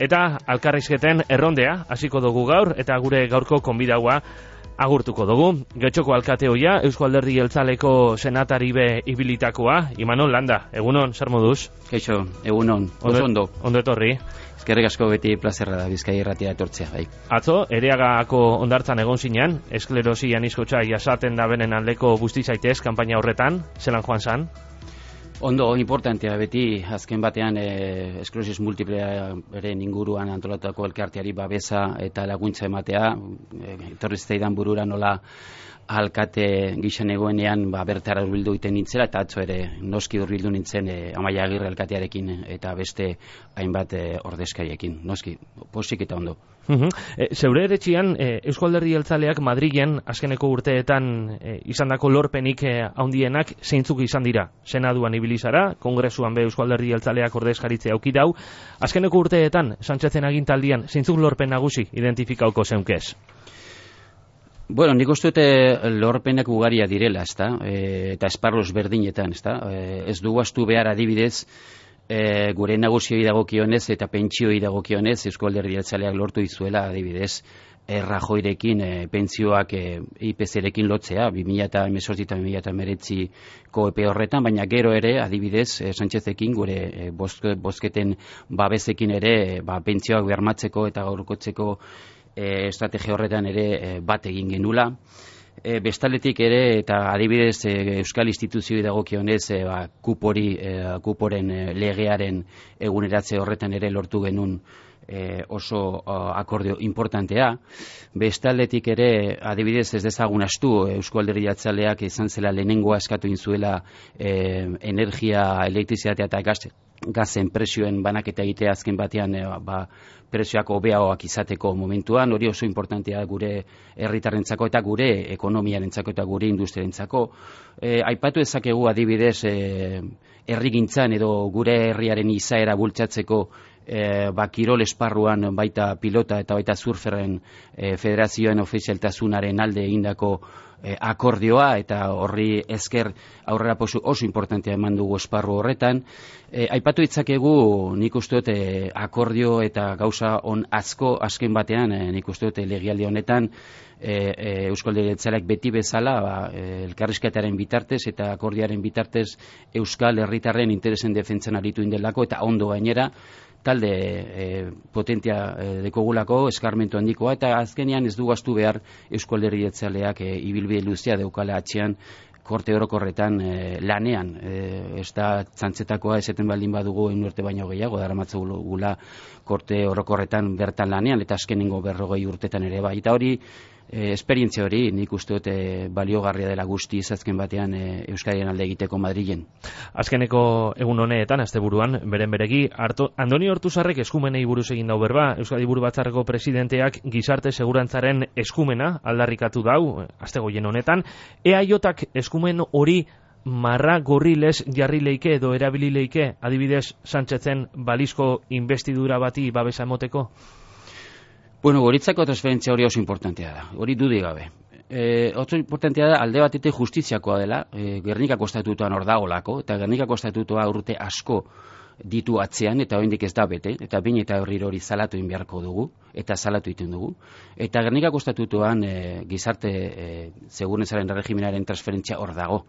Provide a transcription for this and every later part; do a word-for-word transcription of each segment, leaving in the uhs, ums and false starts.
Eta alkarrizketen errondea hasiko dugu gaur, eta gure gaurko konbidaua agurtuko dugu. Getxoko alkate hoia, Eusko Alderdi Jeltzaleko senatari be ibilitakoa, Imanol Landa. Egunon, zer moduz? Kaixo, egunon, oso ondo. Ondo etorri. Eskerrik asko, beti plazerra da Bizkaia irratia etortzea, bai. Atzo, Ereagako hondartzan egon zinean, esklerosi aniskotxa jasaten da benen aldeko busti zaitez kanpaina horretan, zelan joan zan? Ondo, importantea beti, azken batean eh, esklerosis multiplearen inguruan antolatutako elkarteari babesa eta laguntza ematea, eh, etorri zitzaidan burura nola alkate gixen egoenean ba, bertara hurbildu iten nintzela, eta atzo ere noski hurbildu nintzen e, Amaia Agirre alkatearekin eta beste hainbat e, ordezkariekin, noski, posik eta ondo. Uhum. E, zeure eretxian, e, Eusko Alderdi Jeltzaleak Madrilen azkeneko urteetan e, izandako lorpenik e, handienak zeintzuk izan dira. Senaduan ibili zara, Kongresuan be Eusko Alderdi Jeltzaleak ordezkaritzea auki dau. Azkeneko urteetan, Sánchezen agintaldian, zeintzuk lorpen nagusi identifikauko zeunkez? Bueno, nik uste dute lorpenak ugaria direla, ezta? E, eta esparros berdinetan, ezta? E, ez dugu astu behar adibidez, e, gure nagusioi dagokionez eta pentsioi dagokionez, Eusko Alderdi Jeltzaleak lortu izuela adibidez, e, Rajoirekin e, pentsioak e, I P C-rekin lotzea, bi mila hemezortzi eta bi mila hemeretziko epe horretan, baina gero ere, adibidez, e, Sánchezekin gure e, bozketen babesekin ere, e, ba, pentsioak bermatzeko eta gaurkotzeko E, estrategia horretan ere e, bat egin genula. E, bestaletik ere, eta adibidez e, Euskal Instituzioi dagokionez e, ba, kupori, e, kuporen e, legearen eguneratze horretan ere lortu genuen e, oso uh, akordio importantea. Bestaldetik ere, adibidez ez dezagun astu, Eusko Alderdi Jeltzaleak izan zela lehenengoa eskatu inzuela e, energia, elektrizitatea eta gaz, gazen presioen banaketa egitea azken batean e, ba, prezioak hobeagoak izateko momentuan, hori oso importantea gure herritarrentzako eta gure ekonomiarentzako eta gure industriarentzako. E, aipatu ezakegu adibidez e, herrigintzan edo gure herriaren izaera bultzatzeko e, ba, kirol esparruan baita pilota eta baita surferren e, federazioen ofizialtasunaren alde egindako e, akordioa, eta horri esker aurrera posu oso importantea eman dugu esparru horretan. E, aipatu ditzakegu nik uste dut e, akordio eta gauza on asko azken batean, e, nik uste dut legialdi honetan e, e, Eusko Alderdi Jeltzaleak beti bezala ba, e, elkarrizketaren bitartez eta akordioaren bitartez Euskal herritarren interesen defentzan aritu indelako, eta ondo gainera talde e, potentia e, dekogulako, eskarmentu handikoa, eta azkenean ez du gaztu behar Eusko Alderdi Jeltzaleak e, ibilbide luzea deukala atxean korte orokorretan e, lanean. E, ez da txantzetakoa eseten baldin badugu ehun urte baino gehiago, daramatzugula korte orokorretan bertan lanean, eta azkenengo berrogei urtetan ere bai. Eta hori, e, esperientzia hori nik uste dut e, baliogarria dela guzti azken batean e, Euskadiren alde egiteko Madrilen. Azkeneko egun honetan, asteburuan, beren beregi, Arto, Andoni Ortuzarrek eskumenei buruz egin dau berba, Euskadi Buru Batzarreko presidenteak gizarte segurantzaren eskumena aldarrikatu dau, astegoien honetan. E A J-ak eskumen hori marra gorrilez jarri leike edo erabili leike, adibidez Sánchezen balizko investidura bati babesa emoteko? Bueno, goritzako transferentzia hori oso importantea da, hori dudik gabe. E, oso importantea da, alde batetik justiziakoa dela, e, Gernikako estatutuan hor dagolako, eta Gernikako estatutua urte asko ditu atzean, eta oraindik ez da bete, eta behin eta berriro hori salatu egin beharko dugu, eta salatu egiten dugu. Eta Gernikako estatutuan e, gizarte e, segurantzaren regimenaren transferentzia hor dago.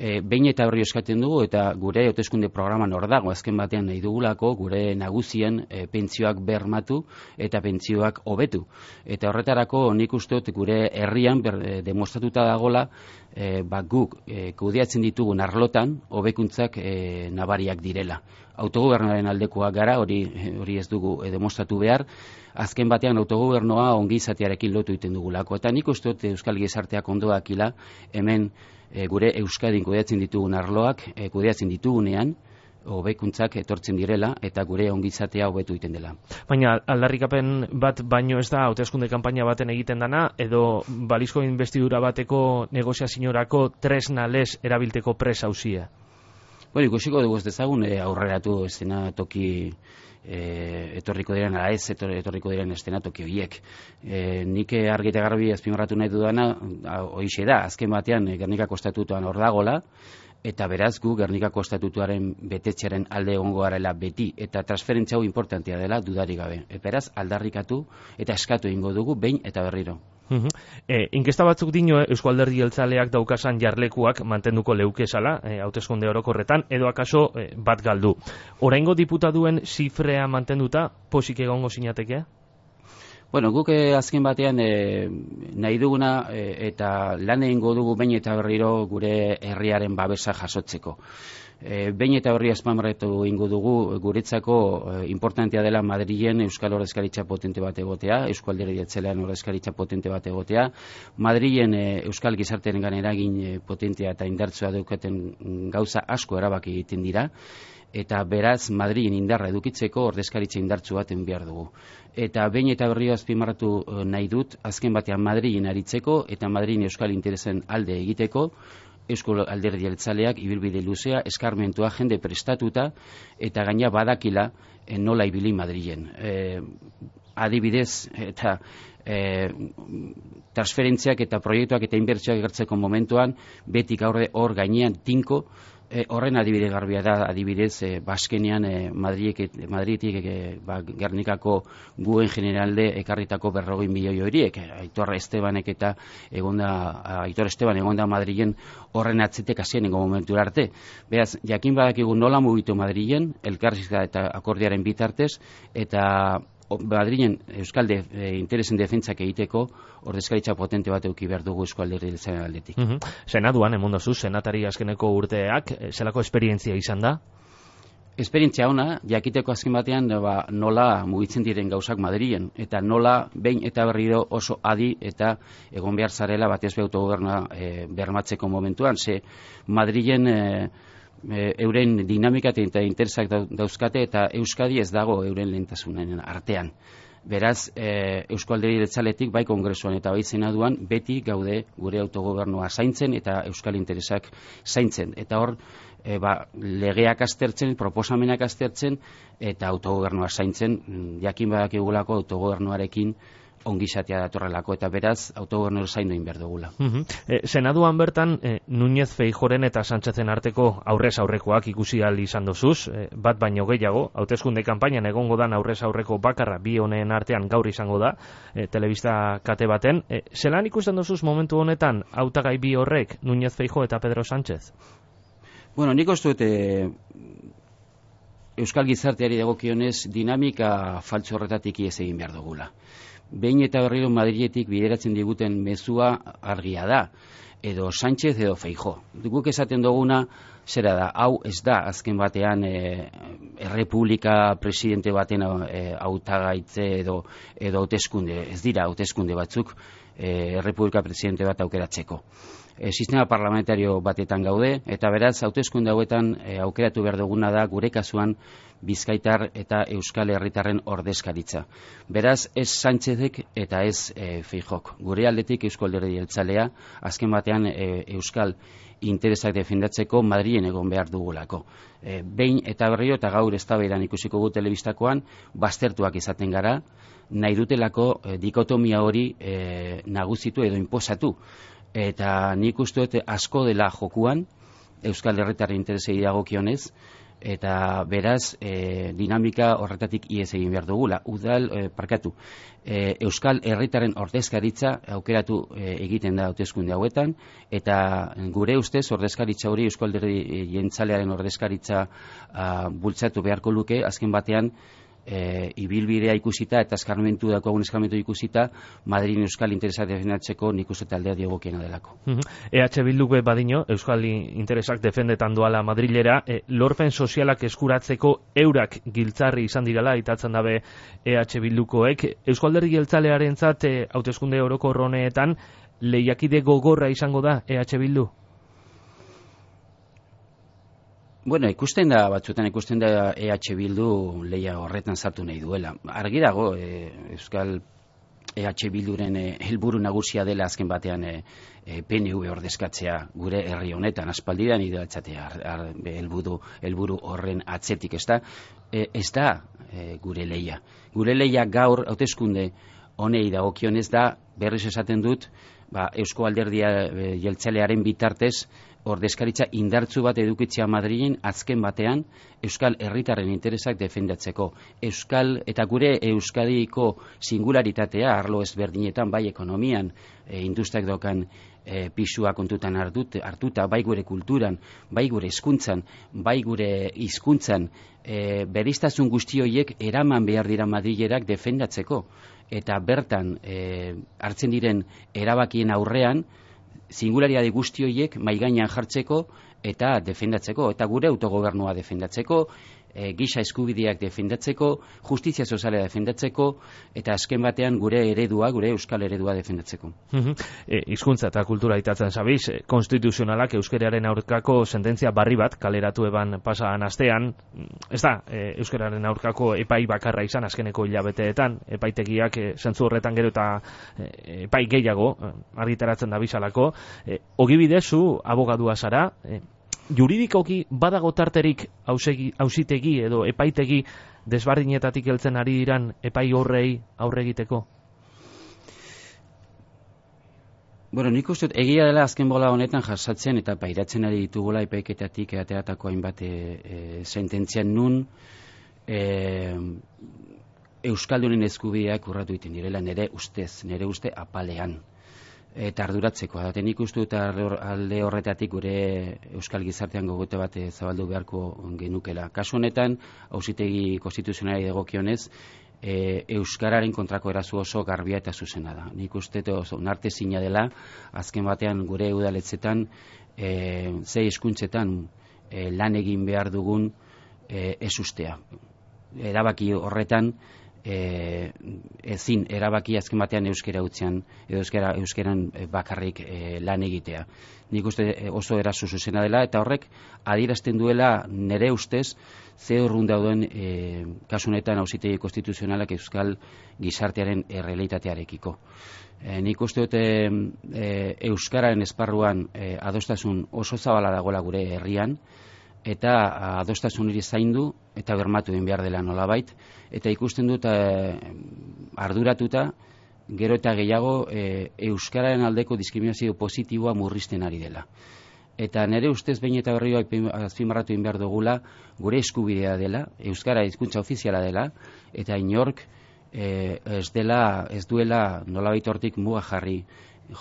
E, behin eta horri eskatzen dugu, eta gure hauteskunde programan hor dago, azken batean nahi dugulako gure nagusien e, pentsioak bermatu eta pentsioak hobetu. Eta horretarako nik uste dut gure herrian ber, e, demostratuta dagola e, ba, guk e, kudeatzen ditugun arlotan hobekuntzak e, nabariak direla. Autogobernuaren aldekoak gara, hori hori ez dugu e, demostratu behar. Azken batean autogobernua ongizatearekin lotu egiten dugulako. Eta nik uste dut Euskal Gizarteak ondo dakila hemen e, gure Euskadin kudeatzen ditugun arloak, e, kudeatzen ditugunean, hobekuntzak etortzen direla eta gure ongizatea hobetu egiten dela. Baina aldarrikapen bat baino ez da hauteskunde kanpaina baten egiten dana, edo balizko investidura bateko negoziaziorako tresna lez erabilteko presa hauzia? Bueno, ikusiko dugu ez dezagun e, aurreratu estena toki e, etorriko diren, ala ez etorriko diren estena toki horiek. E, nik argi eta garbi azpimarratu nahi dudana, hoixe da, azken batean Gernikako estatutuan hor dagola, eta beraz gu Gernikako estatutuaren betetxearen alde egongo garela beti, eta transferentzia hau importantea dela dudarik gabe. E, beraz aldarrikatu eta eskatu egingo dugu behin eta berriro. Uh-huh. E, inkesta batzuk dino Eusko Alderdi Jeltzaleak daukasan jarlekuak mantenduko leukezala e, hauteskunde orokorretan, edo akaso e, bat galdu. Oraingo diputatuen zifrea mantenduta posik egongo sinatekea? Bueno, guk eh, azken batean eh, nahi duguna eh, eta lan egingo dugu behin eta berriro gure herriaren babesa jasotzeko. E, behin eta berri azpimarratu ingo dugu guretzako e, importantea dela Madrilen euskal ordezkaritza potente bat egotea, Eusko Alderdi Jeltzalean ordezkaritza potente bat egotea, Madrilen e, euskal gizartearengan eragin e, potentea eta indartsua daukaten gauza asko erabaki egiten dira, eta beraz Madrilen indarra edukitzeko ordezkaritza indartsu baten behar dugu. Eta behin eta berri azpimarratu nahi dut, azken batean Madrilen aritzeko eta Madrilen euskal interesen alde egiteko, Eusko Alderdi Jeltzaleak ibilbide luzea, eskarmentua, jende prestatuta, eta gaina badakila e, nola ibili Madrilen. E, adibidez, eta e, transferentziak eta proiektuak eta inbertsioak gertzeko momentuan, betik aurre hor gainean tinko, E, horren adibide garbia da, adibidez, e, baskenean e, Madriek, Madridik e, ba, Gernikako guen generalde ekarritako berrogei milioi horiek. Aitor Estebanek eta egonda, Aitor Esteban egonda Madrilen horren atzetek hasienengo momentu arte. Beraz, jakin badakigu nola mugitu Madrilen, elkarrizketa eta akordiaren bitartez, eta Madrilen euskalde e, interesen defentsak egiteko ordezkaritza potente bat eduki behar dugu Eusko Alderdi Jeltzalearen aldetik. Uh-huh. Senaduan, emondozu, senatari azkeneko urteak, zelako esperientzia izan da? Esperientzia ona, jakiteko azken batean ba, nola mugitzen diren gauzak Madrilen, eta nola behin eta berriro oso adi eta egon behar zarela batez be autogobernua e, bermatzeko momentuan, ze Madrilen e, E, euren dinamika eta interesak dauzkate eta Euskadi ez dago euren lehentasunen artean. Beraz, e, Eusko Alderdi Jeltzaletik bai kongresuan eta bai senaduan beti gaude gure autogobernua zaintzen eta euskal interesak zaintzen. Eta hor, e, ba, legeak aztertzen, proposamenak aztertzen eta autogobernua zaintzen, jakin badakigulako autogobernuarekin ongizatea datorrelako, eta beraz autogobernu zaindu egin behar dugula. Uh-huh. e, Senaduan bertan, e, Núñez Feijóoren eta Sánchezen arteko aurrez aurrekoak ikusi ahal izan dozuz, e, bat baino gehiago, hauteskunde kanpainan egongo dan aurrez aurreko bakarra bi honen artean gaur izango da, e, telebista kate baten. E, zelan ikusten dozuz momentu honetan hautagai bi horrek, Núñez Feijóo eta Pedro Sánchez? Bueno, nik uste dut e, euskal gizarteari dagokionez dinamika faltsu horretatik ihes egin behar dugula. Behin eta berriro Madriletik bideratzen diguten mezua argia da, edo Sánchez edo Feijóo. Guk esaten duguna, zera da, hau ez da, azken batean e, errepublika presidente baten e, hautagaitze edo edo hauteskunde, ez dira hauteskunde batzuk e, errepublika presidente bat aukeratzeko. E, sistema parlamentario batetan gaude, eta beraz, hauteskunde hauetan e, aukeratu behar duguna da gure kasuan Bizkaitar eta Euskal Herritarren ordezkaritza. Beraz, ez Sánchezek eta ez e, Feijóok. Gure aldetik Eusko Alderdi Jeltzalea, azken batean e, Euskal interesak defendatzeko Madrilen egon behar dugulako. E, behin eta berriro eta gaur eztabaidan ikusiko gu telebistakoan, baztertuak izaten gara, nahi dutelako e, dikotomia hori e, nagusitu edo inposatu. Eta nik uste dut asko dela jokuan, Euskal Herritarren interesei dagokionez, eta beraz e, dinamika horretatik ihes egin behar dugula. Udal, e, parkatu, e, Euskal Herritarren ordezkaritza aukeratu e, egiten da hauteskunde hauetan, eta gure ustez ordezkaritza hori Eusko Alderdi Jeltzalearen ordezkaritza a, bultzatu beharko luke, azken batean E, ibilbidea ikusita eta eskarmentu dako agun eskarmentu ikusita Madrilen euskal interesak defendatzeko nik uste taldea diegokiena delako. Uh-huh. E H Bilduk badino euskal interesak defendetan doala Madrilera, e, lorpen sozialak eskuratzeko eurak giltzarri izan dirala itatzen dabe E H Bildukoek. Eusko Alderdi Jeltzalearentzat e, hauteskunde orokor honetan lehiakide gogorra izango da E H Bildu? Bueno, ikusten da, batzutan ikusten da E H Bildu leia horretan sartu nahi duela. Argi dago, e, Euskal E H Bilduren e, helburu nagusia dela azken batean e, e, P N V ordezkatzea gure herri honetan, aspaldidan ideatzatea helburu helburu horren atzetik, ez da, e, ez da e, gure leia. Gure leia gaur hauteskunde honei dagokionez da, berriz esaten dut, ba, Eusko Alderdia e, Jeltzalearen bitartez ordezkaritza indartzu bat edukitzea Madrilen azken batean Euskal Herritarren interesak defendatzeko. Euskal eta gure Euskadiko singularitatea arlo ezberdinetan, bai ekonomian, e, industriak dokan e, pisua kontutan hartut, hartuta, bai gure kulturan, bai gure hezkuntzan, bai gure hizkuntzan, e, bereiztasun guzti horiek eraman behar dira Madrilerak defendatzeko. Eta bertan e, hartzen diren erabakien aurrean singularitate guzti horiek mahai gainean jartzeko eta defendatzeko, eta gure autogobernua defendatzeko, e, giza eskubideak defendatzeko, justizia soziala defendatzeko, eta azken batean gure eredua, gure euskal eredua defendatzeko. e, hizkuntza eta kultura aitatzen zabiz, e, konstituzionalak euskeraren aurkako sententzia barri bat kaleratu eban pasadan astean, ez da, e, euskeraren aurkako epai bakarra izan azkeneko hilabeteetan, epaitegiak e, zentzu horretan gero eta e, epai gehiago e, argitaratzen da bizalako. E, ogibidez, zu abogadua zara, e, juridikoki badago tarterik auzitegi edo epaitegi desbardinetatik heltzen ari diran epai horrei aurre egiteko? Bueno, nik uste dut, egia dela azken bola honetan jasatzen eta pairatzen ari ditugula epaiketatik ateratako hainbat e, e, sententzian nun e, Euskaldunen eskubideak urratu egiten direla nire ustez, nire uste apalean. Eta arduratzeko, da nik uste dut alde horretatik gure euskal gizartean gogote bat zabaldu beharko genukela. Kasu honetan, auzitegi konstituzionalari dagokionez, e, euskararen kontrako eraso oso garbia eta zuzena da. Nik uste oso onartezina dela, azken batean gure udaletzetan, e, zei hizkuntzetan e, lan egin behar dugun e, ez ustea. Erabaki horretan, E, ezin erabaki azken batean euskera utzean edo euskera, euskeran bakarrik e, lan egitea. Nik uste oso eraso zuzena dela eta horrek adierazten duela nire ustez ze urrun dauden e, kasunetan auzitegi konstituzionalak euskal gizartearen errealitatearekiko. E, nik uste dute e, euskararen esparruan e, adostasun oso zabala dagoela gure herrian, eta adostasun hori zaindu eta bermatu egin behar dela nolabait, eta ikusten dut e, arduratuta gero eta gehiago e, euskararen aldeko diskriminazio positiboa murrizten ari dela. Eta nire ustez behin eta berriro azpimarratu egin behar dugula gure eskubidea dela, euskara hizkuntza ofiziala dela, eta inork e, ez dela, ez duela nolabait hortik muga jarri,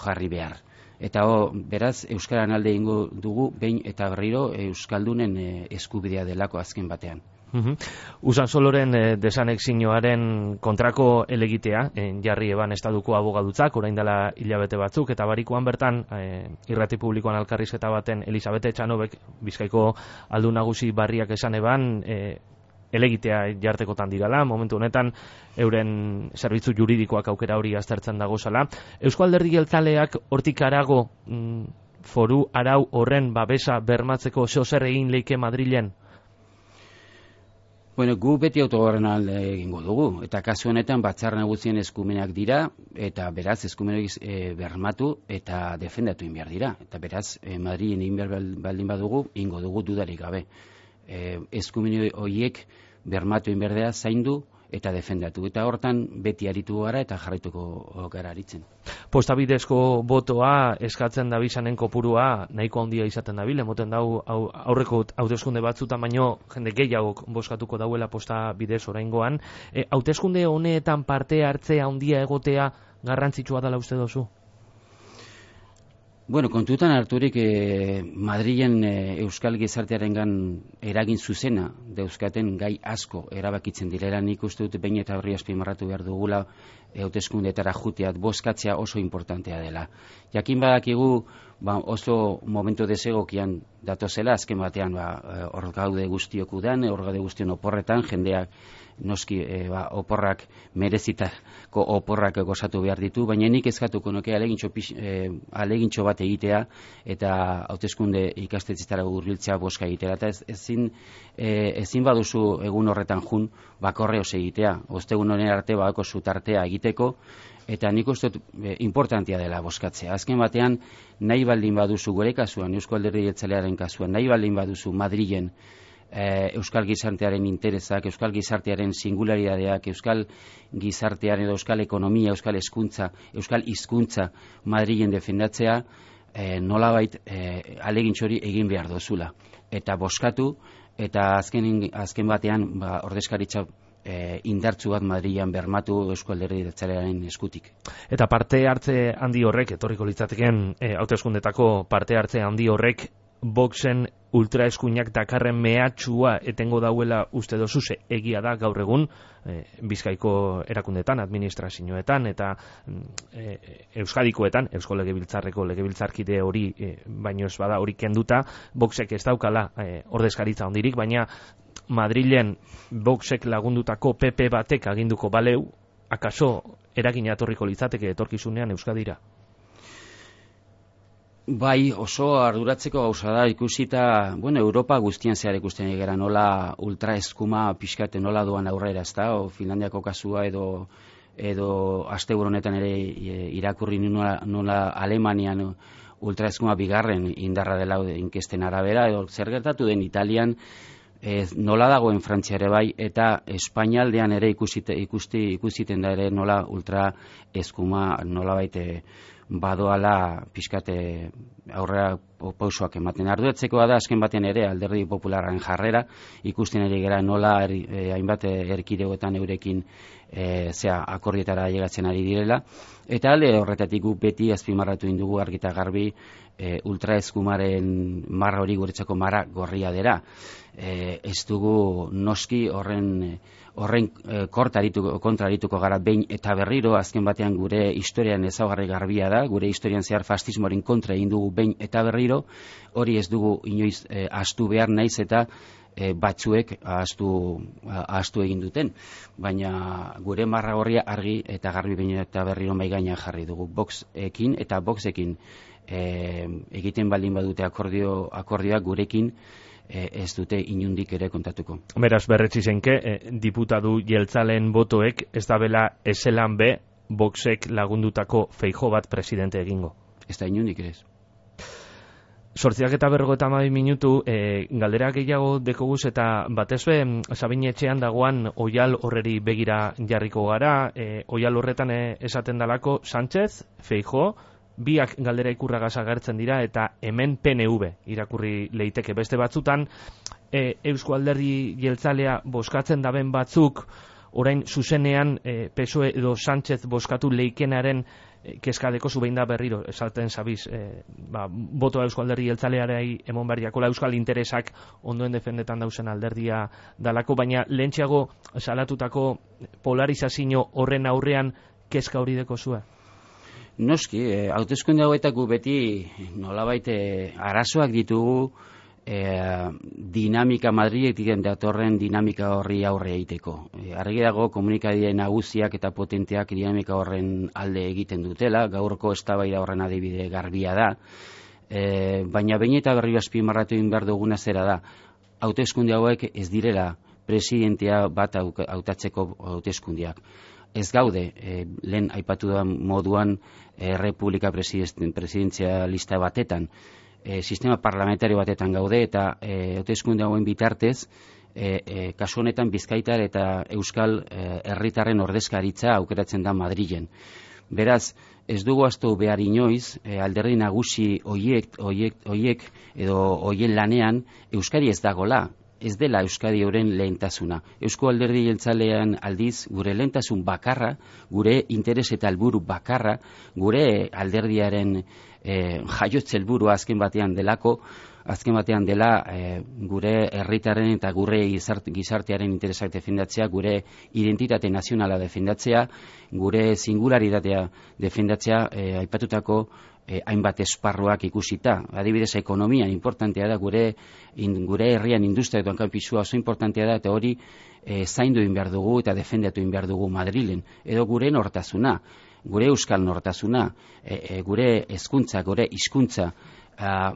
jarri behar. Eta o, beraz, euskaran alde ingo dugu, behin eta berriro euskaldunen e, eskubidea delako azken batean. Uhum. Usan Soloren e, desanexioaren kontrako elegitea, e, jarri eban estaduko abogadutzak, orain dela hilabete batzuk, eta barikoan bertan, e, irrati publikoan alkarrizketa baten Elisabete Txanobek, Bizkaiko aldun nagusi barriak esan eban, e, elegitea jartekotan dirala, momentu honetan euren zerbitzu juridikoak aukera hori aztertzen dagozala. Eusko Alderdi Jeltzaleak hortik harago mm, foru arau horren babesa bermatzeko zeo zer egin leike Madrilen? Bueno, gu beti autogoberna alde egingo dugu, eta kasu honetan batzar nagusien eskumenak dira, eta beraz eskumenak e, bermatu eta defendatu egin behar dira. Eta beraz, e, Madrilen egin behar baldin badugu, ingo dugu dudarik gabe. E, eskumen horiek bermatu inberdea zaindu eta defendatu. Eta hortan beti aritu gara eta jarraituko gara aritzen. Posta bidezko botoa eskatzen dabizanen kopurua nahiko handia izaten dabil, emoten dau aurreko hauteskunde batzutan baino jende gehiagok bozkatuko dauela posta bidez oraingoan. E, hauteskunde honetan parte hartzea handia egotea garrantzitsua dela uste dozu? Bueno, kontutan harturik eh, Madrilen eh, euskal gizartearengan eragin zuzena dauzkaten gai asko erabakitzen direla. Nik uste dut behin eta horri azpimarratu behar dugula hauteskundeetara juteat bozkatzea oso importantea dela. Jakin badakigu ba, oso momentu desegokian datozela, azken batean ba, hor gaude guztiok udan, hor gaude guztion oporretan, jendeak noski e, ba, oporrak merezitako oporrak gozatu behar ditu, baina nik eskatuko nuke alegintxo, e, alegintxo bat egitea eta hauteskunde ikastetxetara hurbiltzea boska egitea. Eta ez, ezin, e, ezin baduzu egun horretan jun bakorreoz egitea, ostegun honen arte badako zutartea egiteko, eta nik uste dut e, importantia dela boskatzea. Azken batean, nahi baldin baduzu gure kasuan, Eusko Alderdi Jeltzalearen kasuan, nahi baldin baduzu Madrilen euskal gizartearen interesak, euskal gizartearen singularidadeak, euskal gizartearen edo euskal ekonomia, euskal hezkuntza, euskal hizkuntza Madrilen defendatzea, e, nolabait e, alegintxori egin behar dozula. Eta boskatu, eta azken, azken batean ba, ordezkaritza e, indartzu bat Madrilean bermatu Eusko Alderdi Jeltzalearen eskutik. Eta parte hartze handi horrek, etorriko litzateken e, hauteskundetako parte hartze handi horrek, Voxen ultraeskuinak dakarren mehatxua etengo dauela uste dozuse, egia da gaur egun e, Bizkaiko erakundetan, administrazioetan eta e, Euskadikoetan, Eusko Legebiltzarreko legebiltzarkide hori e, baino ez bada hori kenduta, Voxek ez daukala e, ordezkaritza hondirik, baina Madrilen Voxek lagundutako P P batek aginduko baleu, akaso eragina etorriko litzateke etorkizunean Euskadira? Bai, oso arduratzeko gauza da ikusita, bueno, Europa guztian zehar ikusten egera nola ultraeskuma pixkate nola doan aurrera, ezta, o Finlandiako kasua edo edo asteburu honetan ere irakurri nola, nola Alemanian ultraeskuma bigarren indarra dela inkesten arabera, edo zer gertatu den Italian, ez, nola dagoen Frantzia ere bai, eta Espainialdean ere ikusite, ikusti, ikusiten da ere nola ultraeskuma nola baite badoala pixkate aurrera pausoak ematen. Arduratzekoa da azken baten ere Alderdi Popularraren jarrera, ikusten ere gara nola er, eh, hainbat erkidegoetan eurekin eh, zea akordietara llegatzen ari direla, eta alde horretatik gu beti azpimarratu indugu argi eta garbi eh, ultraeskumaren marra hori guretzako marra gorria dela. Eh, ez dugu noski horren horren e, kontrarituko gara behin eta berriro, azken batean gure historian ezaugarri garbia da, gure historian zehar fascismoaren kontra egin dugu behin eta berriro, hori ez dugu inoiz e, astu behar naiz eta e, batzuek astu, astu egin duten, baina gure marra gorria argi eta garbi behin eta berriro mai gainean jarri dugu Voxekin eta Voxekin e, egiten baldin badute akordio, akordioak gurekin ez dute inundik ere kontatuko. Beraz, berretsi zenke, eh, diputatu jeltzalen botoek ez da bela eselan be Voxek lagundutako Feijóo bat presidente egingo. Ez da inundik ere ez. Sortziak eta berrogeita hamabi minutu, e, galdera gehiago dekoguz eta batez be, Sabin etxean dagoan oial horreri begira jarriko gara, e, oial horretan e, esaten dalako Sánchez, Feijóo, biak galdera ikurragaz agertzen dira eta hemen P N V irakurri leiteke beste batzutan e, Eusko Alderdi Jeltzalea boskatzen daben batzuk orain zuzenean e, P S O E edo Sánchez boskatu leikenaren e, kezkadeko zubein da berriro esaten zabiz e, ba, botoa Eusko Alderdi Jeltzalearei emon berriakola euskal interesak ondoen defendetan dauzen alderdia dalako, baina lehentxeago salatutako polarizazio horren aurrean kezka hori deko zua? Noski, eh, hauteskunde hauetako beti nolabait eh, arazoak ditugu eh, dinamika Madriletik datorren dinamika horri aurre egiteko. Eh, argi dago komunikabide nagusiak eta potenteak dinamika horren alde egiten dutela, gaurko eztabaida horren adibide garbia da, eh, baina behin eta berriro azpimarratu egin behar duguna zera da, hauteskunde hauek ez direla presidentea bat hautatzeko hauteskundeak. Ez gaude, eh, lehen aipatu da moduan eh, Republika presidenzialista batetan, eh, sistema parlamentario batetan gaude eta hauteskunde eh, hauen bitartez, eh, eh, kasu honetan Bizkaitar eta Euskal eh, herritarren ordezkaritza aukeratzen da Madrilen. Beraz, ez dugu astu behar inoiz, eh, alderdi nagusi oiek, oiek, oiek edo oien lanean Euskadi ez dagola. Ez dela Euskadi euren lehentasuna. Eusko Alderdi Jeltzalean aldiz, gure lehentasun bakarra, gure interes eta helburu bakarra, gure alderdiaren e, jaiotze helburua azken batean delako, azken batean dela e, gure herritarren eta gure gizartearen interesak defendatzea, gure identitate nazionala defendatzea, gure singularitatea defendatzea, e, aipatutako Eh, hainbat esparruak ikusita. Adibidez, ekonomian importantea da, gure in, gure herrian industria eta kanpisua oso importantea da, eta hori eh, zaindu egin behar dugu eta defendatu egin behar dugu Madrilen. Edo gure nortasuna, gure euskal nortasuna, eh, eh, gure hezkuntza, gure hizkuntza, eh,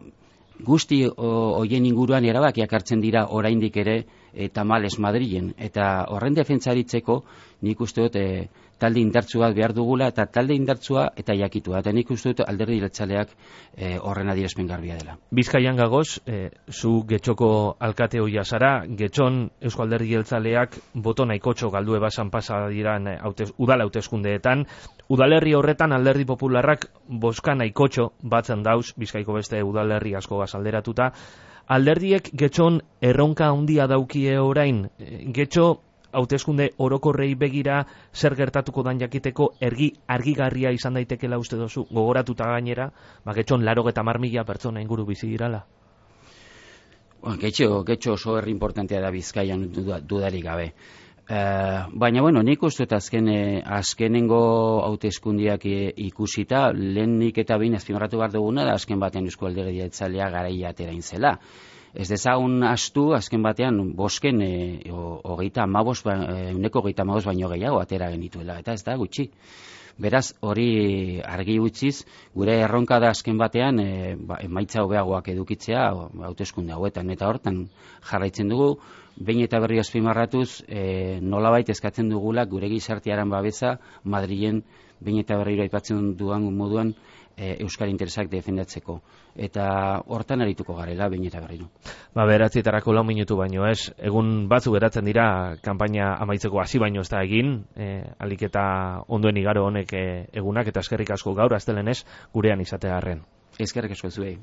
guzti hoien inguruan erabakiak hartzen dira oraindik ere eta males Madrilen, eta horren defentzaritzeko nik uste dut e, talde indartsu bat behar dugula, eta talde indartsua eta jakitua, eta nik uste dut alderdi jeltzaleak e, horren adierazpen garbia dela. Bizkaian gagoz, e, zu Getxoko alkate hoia zara, Getxon Eusko Alderdi Jeltzaleak boto nahikotxo galdu ebasan pasa diran haute, udala hauteskundeetan, udalerri horretan Alderdi Popularrak boska nahikotxo batzen dauz, Bizkaiko beste udalerri asko gazalderatuta, alderdiek Getxon erronka handia daukie orain, Getxo hauteskunde orokorrei begira zer gertatuko dan jakiteko ergi argigarria izan daitekela uste dozu, gogoratuta gainera, ba Getxon laurogeita hamar mila pertsona inguru bizi dirala. Bueno, Getxo, Getxo oso herri importantea da Bizkaian dudarik gabe. Uh, baina, bueno, nik uste azken, azkenengo hauteskundiak ikusita, lehenik eta behin azpimarratu behar duguna da azken batean Eusko Alderdi Jeltzalea garaia aterain zela. Ez dezagun astu, azken batean, bosken e, hogeita amabos, uneko hogeita amabos baino gehiago atera genituela, eta ez da gutxi. Beraz, hori argi utziz, gure erronka da azken batean, e, ba, emaitza hobeagoak edukitzea, hauteskunde hauetan, eta hortan jarraitzen dugu, behin eta berri azpimarratuz, e, nolabait eskatzen dugula gure gizartearen babesa Madrilen behin eta berriro aipatzen duan moduan e, euskal interesak defendatzeko. Eta hortan arituko garela behin eta berriro. Ba, beratzietarako lau minutu baino ez, egun batzu geratzen dira kanpaina amaitzeko hasi baino ez da egin, e, alik eta ondoen igaro honek e, egunak, eta eskerrik asko gaur, aztelenez, gurean izatearren. Eskerrik asko zuei.